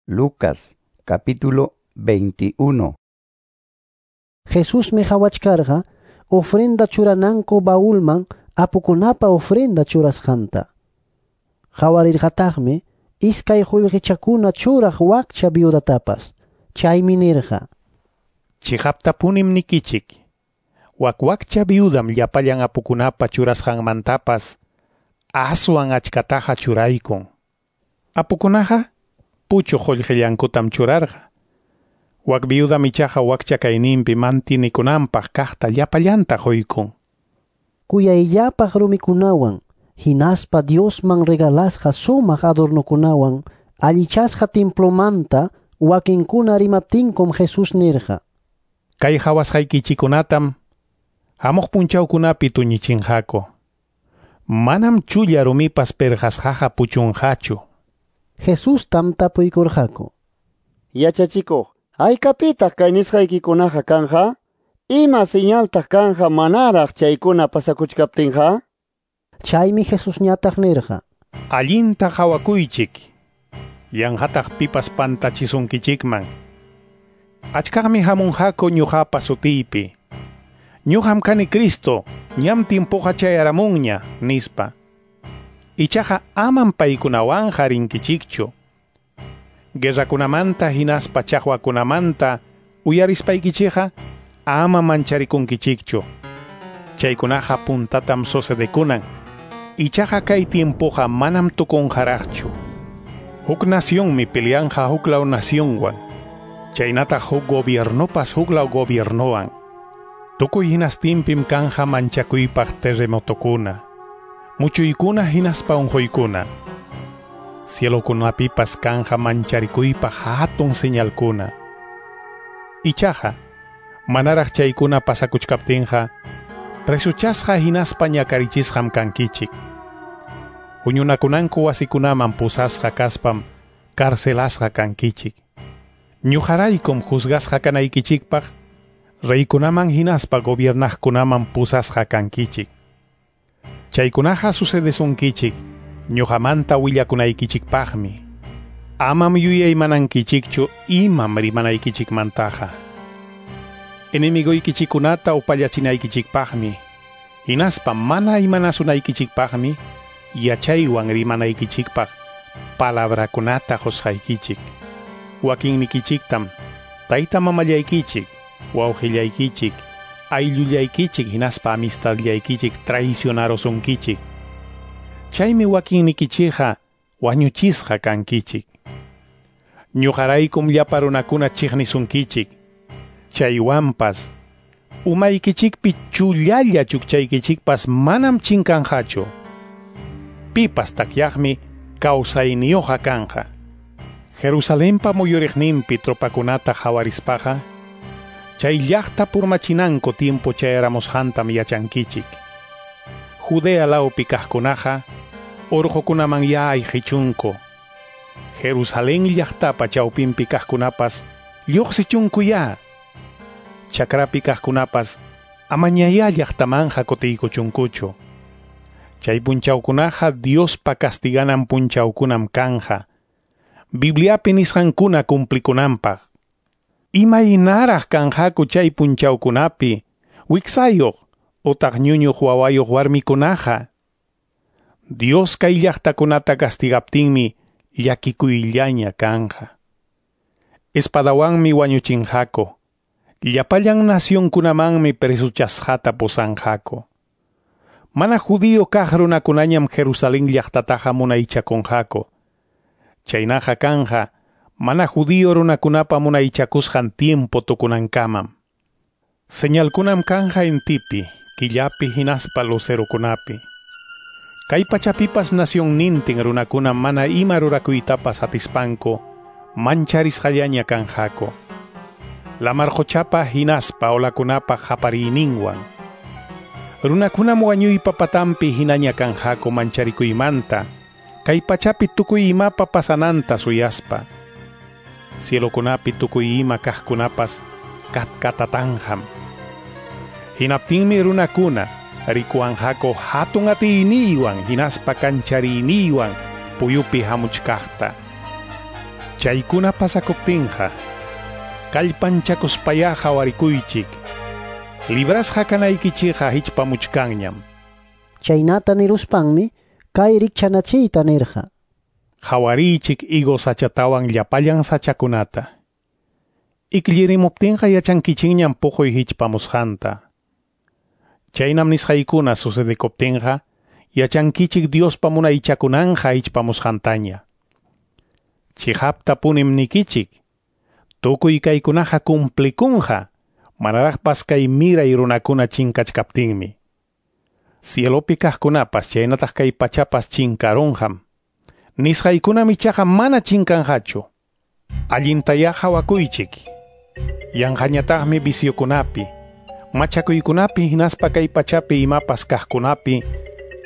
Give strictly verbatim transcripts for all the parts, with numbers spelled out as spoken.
Lucas capítulo veintiuno. Jesusmi qawachkarqa ofrenda churananku baulman apukunapa ofrenda churasqanta. Qawarirqataqmi iskay qullqichakuna churaq wakcha viudatapas. Chaymi nirqa: Chiqaptapunim nikichik, wak wakcha viudam llapallan apukunapa churasqanmantapas aswan achkataqa churaykun. Apukunaqa puchuq qullqillankutam churarqa. Wak viudam ichaqa wakcha kayninpi mantinikunanpaq kaqta llapallanta quykun. Kuyayllapaq rumikunawan hinaspa Diosman regalasqa sumaq adornokunawan allichasqa templomanta wakinkuna rimaptinkum Jesús nirqa: Kay hawasqaykichikkunatam hamuq punchawkunapi tuñichinqaku. Manam chulla rumipas perqasqaqa puchunqachu. Jesustam tapuykurqaku: Yachachikuq, haykapitaq kay nisqaykikunaqa kanja? Ima señaltaq kanja manaraq chaykuna pasakuchkaptinqa? Chaymi Jesusñataq nirqa: Allinta qhawakuychik, yanqataq pipas pantachisunkichikman. Achkaqmi hamunqaku ñuqapa sutiypi. Ñuqam kani Cristo, ñam timpuqa chayaramunña, nispa. Ichaqa amam paykunawanqa rinkichikchu. Guerrakunamanta hinaspa chaqwakunamanta uyarispaykichikqa ama mancharikunkichikchu. Chaykunaqa puntatam sucedekunan. Ichaqa kay tiempoqa manam tukunqaraqchu. Huk nacionmi peleanqa huklaw nacionwan. Chaynataq huk gobiernopas huklaw gobiernowan. Tukuy hinastinpim kanja manchakuypaq terremotokuna, muchuykuna hinaspa unquykuna. Cielokunapipas kanja mancharikuypaq hatun señalkuna. Ichaqa manaraq chaykuna pasakuchkaptinqa presuchasqa hinaspa ñakarichisqam kankichik. Huñunakunanku wasikunaman pusasqa kaspam carcelasqa kankichik. Ñuqaraykum juzgasqa kanaykichikpaq reykunaman hinaspa gobiernaqkunaman pusasqa kankichik. Chaykunaqa sucedesunkichik ñuqamanta willakunaykichikpaqmi. Amam yuyaymanankichikchu imam rimanaykichikmantaqa. Enemigoykichikkunata upallachinaykichikpaqmi, hinaspa mana imanasunaykichikpaqmi yachaywan rimanaykichikpaq palabrakunata qusqaykichik. Wakinnikichiktam tayta mamallaykichik, wawqillaykichik, ayllullaykichik hinaspa amistadllaykichik traicionarosunkichik. Chaymi wakinnikichikqa wañuchisqa kankichik. Ñuqaraykum llapa runakuna chiqnisunkichik. Chaywanpas umaykichikpi chullalla chukchaykichikpas manam chinkanqachu. Pipas takyaqmi kawsayniyuqa kanja. Jerusalenpa muyuriqninpi tropakunata hawarispaqa chay llaqta purmachinanku tiempo chayaramusqantam yachankichik. Judea lawpi kaqkunaqa urqukunaman ayqichunku. Jerusalén llaqtapa chawpinpi kaqkunapas lluqsichunkuyá. Chakrapi kaqkunapas amañayá llaqtamanja kutiykuchunkuchu. Chay punchawkunaqa Diospa castiganan punchawkunam kanja. Bibliapi nisqankuna cumplikunanpaq. Imaynaraq kanqaku chay punchawkunapi wiksayuq utaq ñuñuq wawayuq warmikunaqa. Dios kay llaqtakunata castigaptinmi llakikuyllaña kanja. Espadawanmi wañuchinqaku. Llapallan nacionkunamanmi presuchasqata pusanqaku. Mana judío kaq runakunañam Jerusalén llaqtataqa munaychakunqaku. Chaynaqa kanja mana judío runakunapa munaychakusqan tiempo tukunankamam. Señalkunam kanja intipi, killapi hinaspa lucerokunapi. Kay pachapipas nacionnintin runakuna mana ima rurakuytapas atispanku mancharisqallaña kanqaku. Lamar quchapa hinaspa olakunapa qapariyninwan. Runakunam wañuypa patampi hinaña kanqaku mancharikuymanta, kay pachapi tukuy imapa pasananta suyaspa. Cielokunapi tukuy ima kaqkunapas katkatatanqam. Hinaptinmi runakuna rikuwanqaku hatun atiyniywan hinaspa kanchariyninwan puyupi hamuchkaqta. Chaykuna pasakuptinqa, kallpanchakuspayá hawarikuychik. Librasqa kanaykichikqa hichpamuchkanñam. Chaynata niruspanmi kay rikchanachiyta nirqa. Hawariychik higo sachatawan llapallan sachakunata. Iklirimuptinqa yachankichikñam puquy hichpamusqanta. Chaynam nisqaykuna sucedekuptinqa, yachankichik Diospa munaychakunanqa hichpamusqantaña. Chiqaptapunim nikichik, tukuy kaykunaqa cumplikunqa, manaraqpas kay miray runakuna chinkachkaptinmi. Cielopi kaqkunapas chaynataq kay pachapas chinkarunqam. Nisqaykunam ichaqa mana chinkanqachu. Allintayá hawakuychik. Yanqañataqmi viciokunapi, machakuykunapi hinaspa kay pachapi imapas kaqkunapi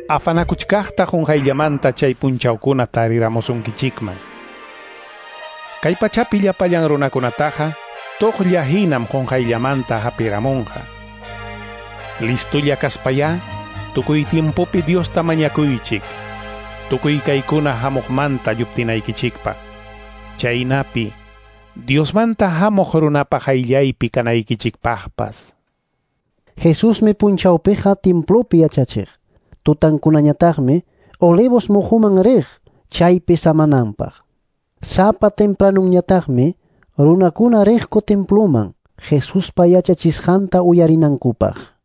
afanakuchkaqta qunqayllamanta chay punchawkuna tariramusunkichikman. Kay pachapi llapallan runakunataqa tuqlla hinam qunqayllamanta hapiramunqa. Listulla kaspayá, tukuy tiempopi Diosta mañakuychik, tukuy kaykuna hamuqmanta lluptinaykichikpaq. Chaynapi Diosmanta hamuq runapaq qayllaypi kanaykichikpaqpas. Jesusmi punchawpiqa templopi yachachiq. Tutankunañataqmi Olivos muhuman riq chaypi samananpaq. Sapa tempranunñataqmi runakuna riqku temploman Jesuspa yachachisqanta uyarinankupaq.